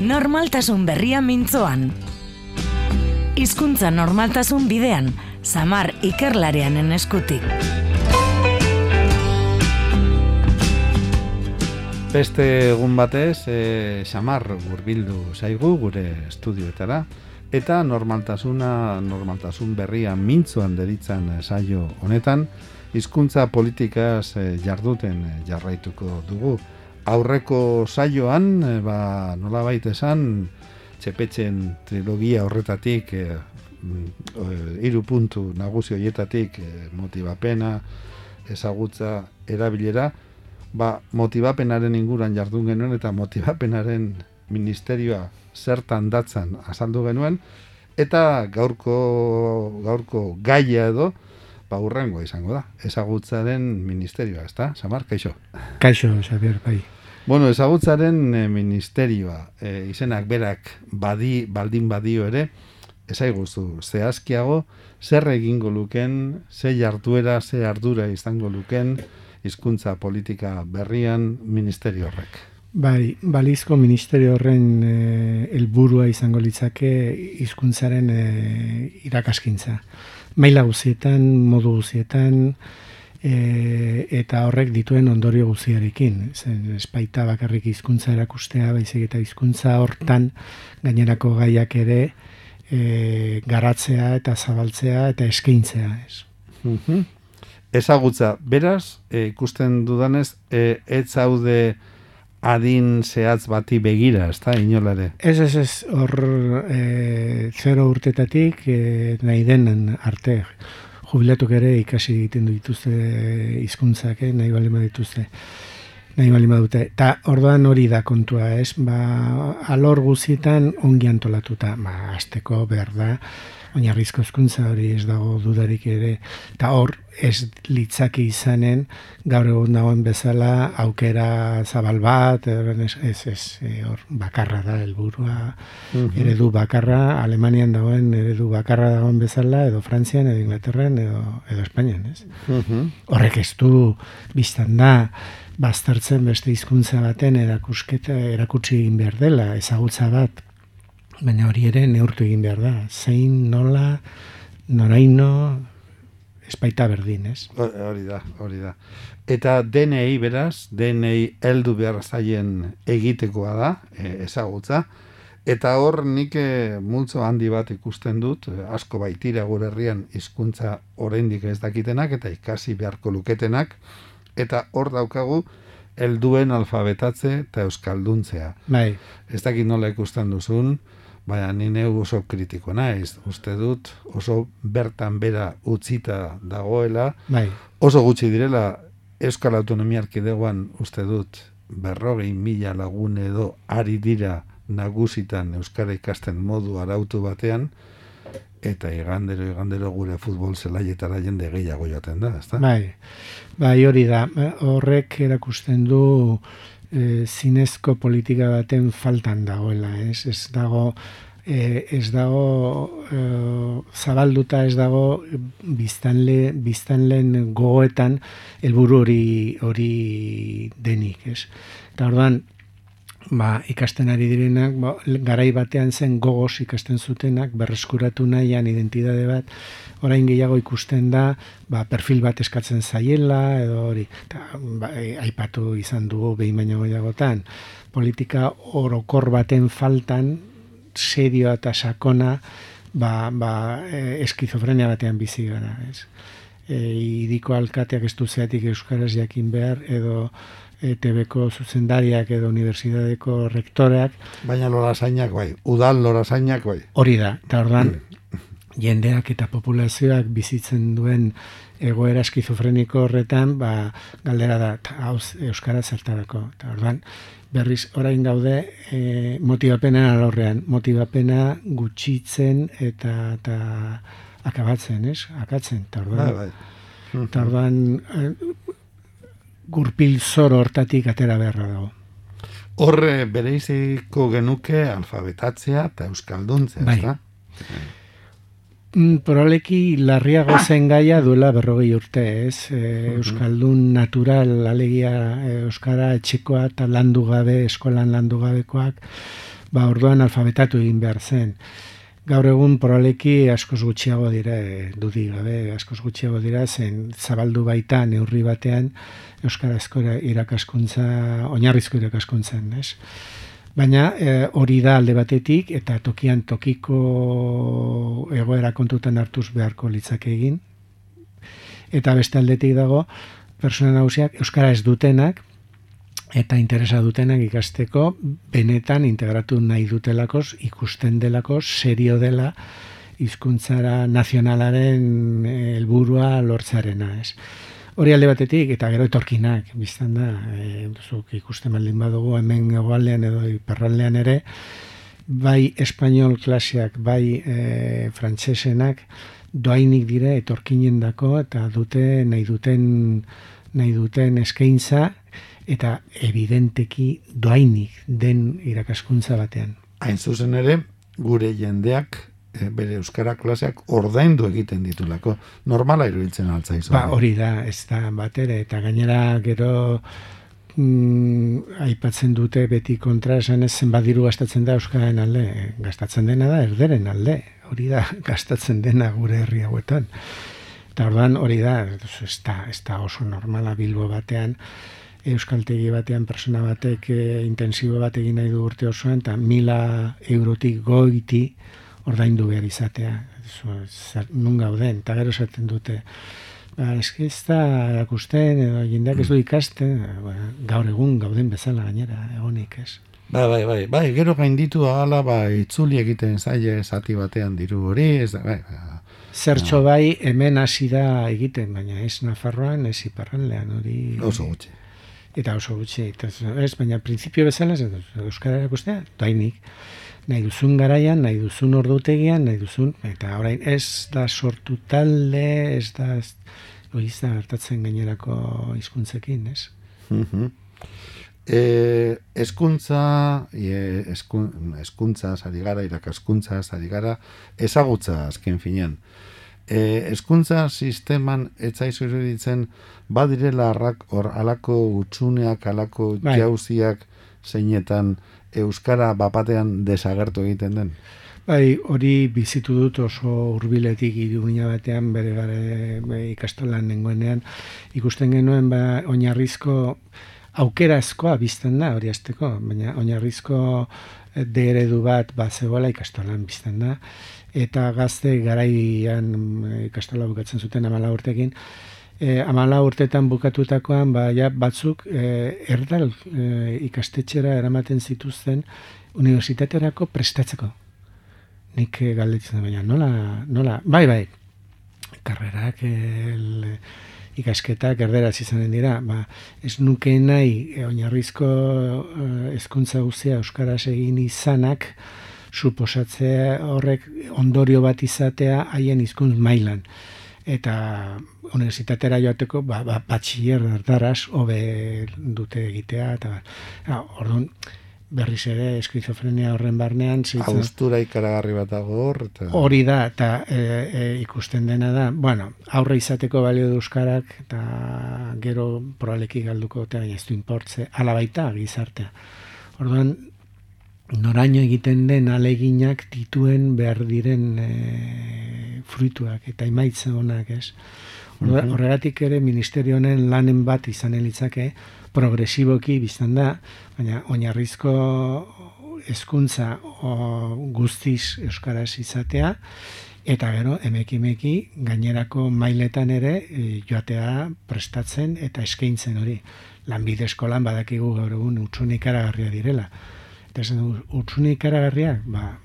Normaltasun berria mintzoan. Hizkuntza normaltasun bidean, Samar ikerlarianen eskutik. Beste egun batez, Samar hurbildu zaigu gure estudioetara, eta normaltasun berria mintzoan deritzan saio honetan, hizkuntza politikaz jarduten jarraituko dugu. Aurreko saioan, nolabait esan, Txepetxen trilogia horretatik, 3 puntu nagusi horietatik, motibapena, ezagutza, erabilera, motibapenaren inguran jardun genuen eta motibapenaren ministerioa zertan datzan azaldu genuen, eta gaurko gaia edo, hurrengoa izango da, ezagutzaren ministerioa, ezta? Samar, kaixo? Kaixo, Xabier, bai. Bueno, ezagutzaren ministerioa, izenak berak baldin badio ere, ezaiguzu, zehazkiago, zer egingo luken, ze jarduera, ze ardura izango luken, hizkuntza politika berrian ministerio horrek. Bai, balizko ministerio horren helburua izango litzake hizkuntzaren irakaskintza. Maila guzietan, modu guzietan, eta horrek dituen ondorio guztiarekin. Ez baita bakarrik hizkuntza erakustea, baizik eta hizkuntza hortan gainerako gaiak ere garatzea eta zabaltzea eta eskaintzea. Ezagutza, beraz, ikusten dudanez, ez zaude adin zehatz bati begira, ez da, inolare? Ez, hor 0 urtetatik nahi denen arte. Jubilatuk ere ikasi egiten dituzte hizkuntzak, nahi balima dituzte. Nahi balima dute. Eta orduan hori da kontua, ez? Alor guzietan ongi antolatuta. Azteko behar da, oinarrizko hizkuntza hori ez dago dudarik ere. Eta hor ez litzaki izanen gaur egun dagoen bezala aukera zabal bat, hor bakarra da helburua, eredu bakarra, Alemanian dagoen eredu bakarra dagoen bezala, edo Frantzian, edo Inglaterran, edo Espainian, ez? Horrek ez du biztan da, baztertzen beste hizkuntza baten erakutsi egin behar dela, ezagutza bat, baina hori ere neurtu egin behar da. Zein, nola, noraino, ez baita berdin, ez? Hori da. Eta DNI beraz, DNI heldu behar zaien egitekoa da, ezagutza, eta hor nik multzo handi bat ikusten dut, asko baitira gure herrian hizkuntza oraindik ez dakitenak, eta ikasi beharko luketenak, eta hor daukagu helduen alfabetatze eta euskalduntzea. Bai. Ez dakit nola ikusten duzun, baina ni neu oso kritiko naiz. Uste dut oso bertan bera utzita dagoela, bai. Oso gutxi direla Euskal Autonomia Erkidegoan uste dut 40.000 lagun edo ari dira nagusitan euskara ikasten modu arautu batean, eta igandero gure futbol zelaietara jende gehiago joaten da, ezta? Bai, hori da. Horrek erakusten du zinezko politika baten faltan dagoela, ez? Ez dago zabalduta, ez dago biztanleen gogoetan helburu hori denik, ez? Eta orduan, ikasten ari direnak, garai batean zen gogoz ikasten zutenak, berreskuratu nahian identitate bat, orain gehiago ikusten da, perfil bat eskatzen zaiela, edo hori, aipatu izan dugu behin baino gehiagotan, politika orokor baten faltan, serioa eta sakona, eskizofrenia batean bizi gara, ez? Hiriko alkateak ez du zeatik euskaraz jakin behar, edo ETB-ko zuzendariak edo unibertsitateko rektoreak. Baina lorazainak bai, udal lorazainak bai. Hori da, eta ordan jendeak eta populazioak bizitzen duen egoera eskizofreniko horretan, galdera da, euskara zertarako. Eta ordan, berriz orain gaude motibapenen alorrean, motibapena gutxitzen eta akabatzen, ez? Akatzen, eta ordan. Eta ordan, gurpil zoro hortatik atera beharra dago. Horre bereiziko genuke alfabetatzea eta euskalduntzea, ezta? Probableki larriago zen gaia duela 40 urte, ez? Euskaldun natural, alegia euskara etxekoa eta landu gabe, eskolan landu gabekoak, orduan alfabetatu egin behar zen. Gaur egun probableki askoz gutxiago dira, dudik gabe, askoz gutxiago dira, zen zabaldu baita neurri batean euskarazko irakaskuntza, oinarrizko irakaskuntzan, ez? Baina hori da alde batetik, eta tokian tokiko egoera kontutan hartuz beharko litzake egin. Eta beste aldetik dago, pertsona nagusiak euskara ez dutenak, eta interesa dutenak ikasteko, benetan integratu nahi dutelakoz, ikusten delakoz, serio dela, hizkuntzara nazionalaren helburua lortzearena, ez? Hori alde batetik, eta gero etorkinak, biztan da, zuk ikusten baldin badugu, hemen hegoaldean edo iparraldean ere, bai espainol klaseak, bai frantsesenak, doainik dire etorkinendako, eta dute nahi duten eskaintza, eta evidenteki doainik den irakaskuntza batean. Hain zuzen ere, gure jendeak bere euskara klaseak ordaindu egiten ditulako. Normala iruditzen altzaizu. Hori da, ez da bat ere, eta gainera gero aipatzen dute beti kontra esan ez zenbat diru gastatzen da euskararen alde. Gastatzen dena da erderen alde. Hori da, gastatzen dena gure herri hauetan. Eta orduan hori da, ez da oso normala Bilbo batean, euskaltegi batean persona batek intensibo bat egin nahi du urte osoan, eta 1.000 eurotik goiti ordaindu behar izatea. Nun gauden, eta gero esaten dute. Ez da erakusten, edo jendeak ez du ikasten, gaur egun gauden bezala gainera, egonik ez. Bai, gero gainditu ahala, itzuli egiten zaie zati batean diru hori, ez da, Zertxo bai, hemen hasi da egiten, baina ez Nafarroan, ez iparraldean hori. Oso gutxi. Eta oso gutxi, baina printzipio bezala, euskara erakustea, doainik. Nahi duzun garaian, nahi duzun ordutegian, nahi duzun, eta orain ez da sortu talde, ez da hartatzen gainerako hizkuntzekin, ez? Hezkuntza ari gara, irakaskuntza ari gara, ezagutza azken finean. Hezkuntza sisteman etzaizu iruditzen badirela alako utsuneak, alako jauziak zeinetan euskara bapatean desagertu egiten den? Bai, hori bizitu dut oso hurbiletik Iruña batean bere ikastolan nengoenean. Ikusten genuen oinarrizko aukerazkoa bizten da hori hasteko, baina oinarrizko eredu bat zegoela ikastolan bizten da. Eta gazte garaian ikastola bukatzen zuten 14 urtekin, 14 urtetan bukatutakoan batzuk erdal ikastetxera eramaten zituzten unibertsitaterako prestatzeko. Nik galdetzen baina nola, bai, karrerak, ikasketak erderaz izanen dira, ez nuke nahi oinarrizko hezkuntza guztia euskaraz egin izanak suposatzea horrek ondorio bat izatea haien hizkuntz mailan. Eta unibertsitatera joateko batxiller erdaraz hobe dute egitea, eta orduan berriz ere eskizofrenia horren barnean haustura ikaragarri bat dago hor hori da, eta ikusten dena da, aurre izateko balio du euskarak, eta gero probableki galduko eta ez du inportze, ala baita gizartea. Orduan noraino egiten den aleginak dituen behar diren fruituak eta emaitza onak, ez? Horregatik ere ministerio honen lanen bat izanen litzake progresiboki biztan da, baina oinarrizko hezkuntza guztiz euskaraz izatea, eta gero emeki gainerako mailetan ere joatea prestatzen eta eskaintzen hori. Lanbide eskolan badakigu gaur egun hutsune ikaragarria direla. Eta esan hutsune ikaragarria,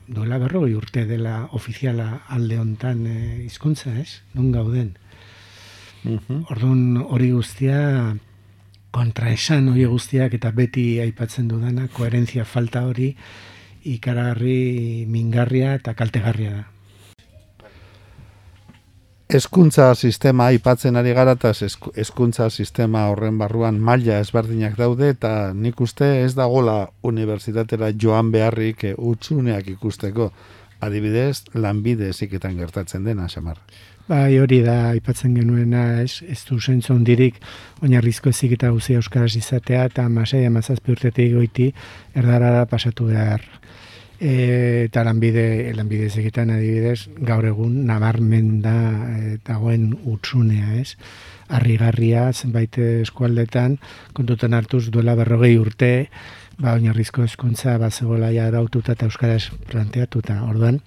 duela 40 urte dela ofiziala alde hontan hizkuntza, ez? Nun gauden. Orduan hori guztia kontraesan hori guztiak eta beti aipatzen dudana, koherentzia falta hori ikaragarri mingarria eta kaltegarria da. Hezkuntza sistema aipatzen ari gara, eta hezkuntza sistema horren barruan maila ezberdinak daude, eta nik uste ez dagola unibertsitatera joan beharrik hutsuneak ikusteko. Adibidez, lanbide heziketan gertatzen dena, Xamar. Bai, hori da aipatzen genuena, ez du zentzu hondirik oinarrizko heziketa guztia euskaraz izatea, eta 16-17 urtetik goiti erdarara pasatu behar. Eta lanbide ezekitan adibidez, gaur egun nabarmen da dagoen utsunea, ez? Harrigarria zenbait eskualdetan, kontutan hartuz duela 40 urte, oinarrizko hezkuntza zegoela ja araututa eta euskaraz planteatuta. Orduan,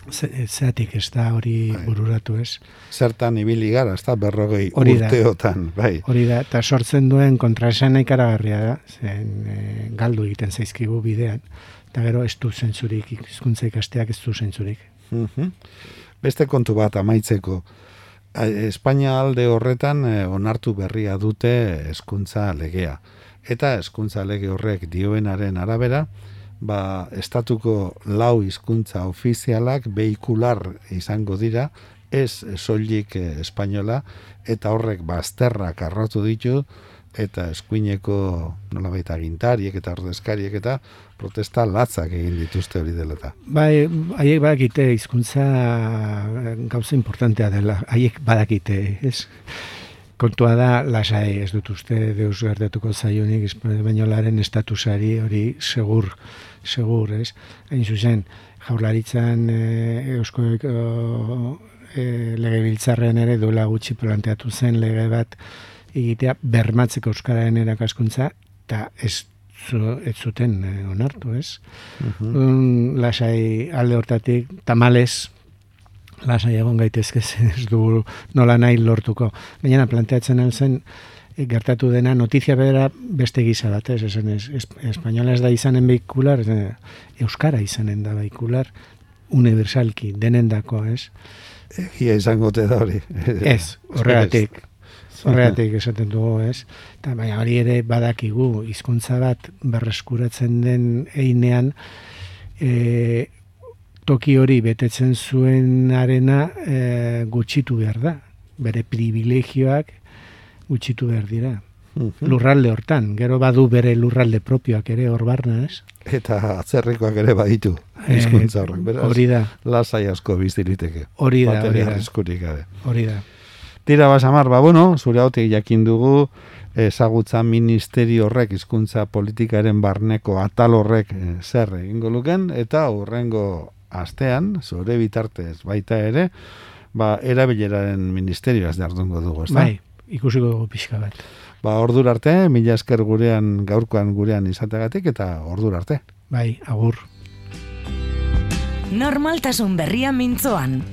zeatik ez da hori bururatu, ez? Zertan ibili gara, ez da 40 urteotan, bai. Hori da, eta sortzen duen kontraesana ikaragarria da, zen galdu egiten zaizkigu bidean, eta gero ez du zentzurik, hizkuntza ikasteak ez du zentzurik. Beste kontu bat amaitzeko, Espainia alde horretan onartu berria dute hezkuntza legea. Eta hezkuntza lege horrek dioenaren arabera, estatuko 4 hizkuntza ofizialak veikular izango dira, ez soilik espainola, eta horrek bazterrak arrotu ditu, eta eskuineko nolabait agintariek eta ordezkariek eta protesta latzak egin dituzte hori dela eta. Bai, haiek badakite hizkuntza gauza importantea dela, haiek badakite, ez? Kontua da, lasai ez dut uste deus gertatuko zaionik espainolaren estatusari hori segur, ez? Hain zuzen, Jaurlaritzan eusko legebiltzarrean ere duela gutxi planteatu zen lege bat egitea bermatzeko euskararen erakaskuntza eta ez zuten onartu, ez? Lasai alde hortatik, tamalez, lasai egon gaitezke ez du nola nahi lortuko. Gainera planteatzen alzen gertatu dena notizia bera beste gisa bat, ez? Espainola ez da izanen veikular, euskara izanen da veikular, universalki, denendako, ez? Egia izango te da hori. Ez, horregatik esaten dugu, ez? Eta baina hori ere badakigu, hizkuntza bat berreskuratzen den einean, toki hori betetzen zuenarena gutxitu behar da. Bere privilegioak gutxitu behar dira. Lurralde hortan, gero badu bere lurralde propioak ere hor barna, ez? Eta atzerrikoak ere baditu hizkuntza horrek, beraz. Hori da. Lasai asko biziriteke. Hori da. Hori da. Tira Samar, zure hautik jakin dugu ezagutza ministerio horrek hizkuntza politikaren barneko atal horrek zer egingo luken, eta hurrengo astean, zure bitartez baita ere, erabileraren ministerioaz jardungo dugu, ez da? Bai, ikusiko dugu pixka bat. Ordura arte, mila esker gaurkoan gurean izategatik, eta ordura arte. Bai, agur. Normaltasun berria mintzoan.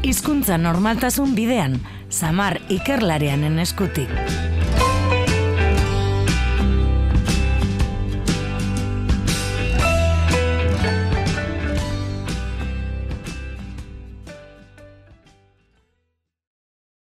Hizkuntza normaltasun bidean, Samar ikerlarianen eskutik.